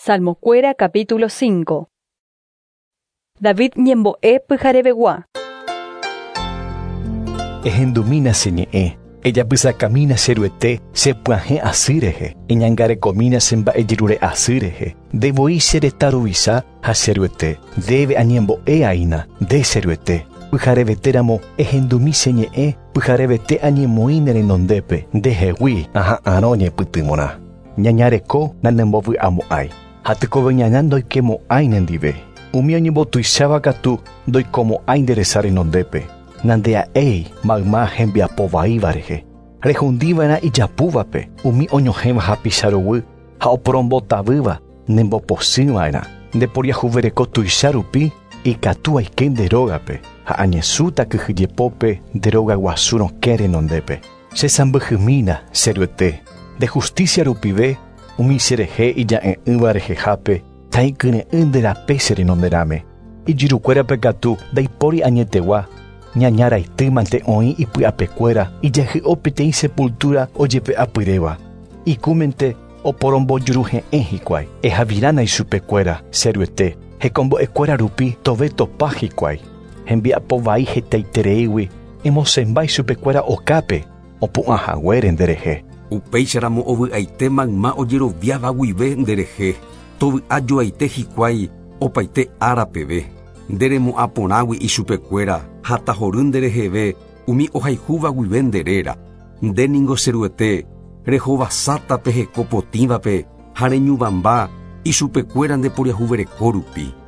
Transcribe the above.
Salmokuéra capítulo 5. David ñembo'e pyharevegua. Ehendumína che ñe'ẽ, ejapysakamína che Ruete che pyahẽ asy rehe, eñangarekomína che mba'ejerure asy rehe, nde voi che retã ruvicha ha che Ruete, ndéve añembo'e aína, nde che Ruete. Pyharevetéramo ehendumi che ñe'ẽ, pyharevete añemoĩ ne renondépe, ndehegui aha'arõ ñepytyvõrã. Ñaña reko nanembovy'amo'ãi, ha tekove ñaña ndoikemo'ãi nendive. Umi oñembotuicháva katu ndoikomo'ãi nde resa renondépe. Nandea'éi mayma hembiapo vaíva rehe. Rehundiva'erã ijapúvape, umi oñohẽva hapicha ruguy ha oporombotavýva nembopochyva'erã. Nde poriahuvereko tuicha rupi ikatu aike nde rógape, ha añesũta kyhyjepópe nde róga guasu rokẽ renondépe. Che sãmbyhymína, che Ruete, nde justícia rupive umi cherehe ija'e'ỹva rehehápe ta'ikyre'ỹ nde rape che renonderãme. Ijyrukuérape katu ndaipóri añetegua, ñaña raity mante oĩ ipy'apekuéra ijahy'o peteĩ sepultura ojepe'apyréva. Ikũmente oporombojuruhe'ẽ hikuái. Ehavirána ichupekuéra, che Ruete, hekombo'ekuéra rupi tove topa hikuái. Hembiapo vai hetaitereígui emosẽmba ichupekuéra okápe, opu'ã haguére nderehe. Upéicharamo ovy'aite mayma ojeroviáva guive nderehe, tovy'a joaite hikuái opaite ára peve. Nde remo'ã porãgui ichupekuéra ha tahory ndereheve umi ohayhúva guive nde réra. Nde ningo che Ruete, rehovasáta pe heko potĩvape ha reñuvãmba ichupekuéra nde poriahuvereko rupi.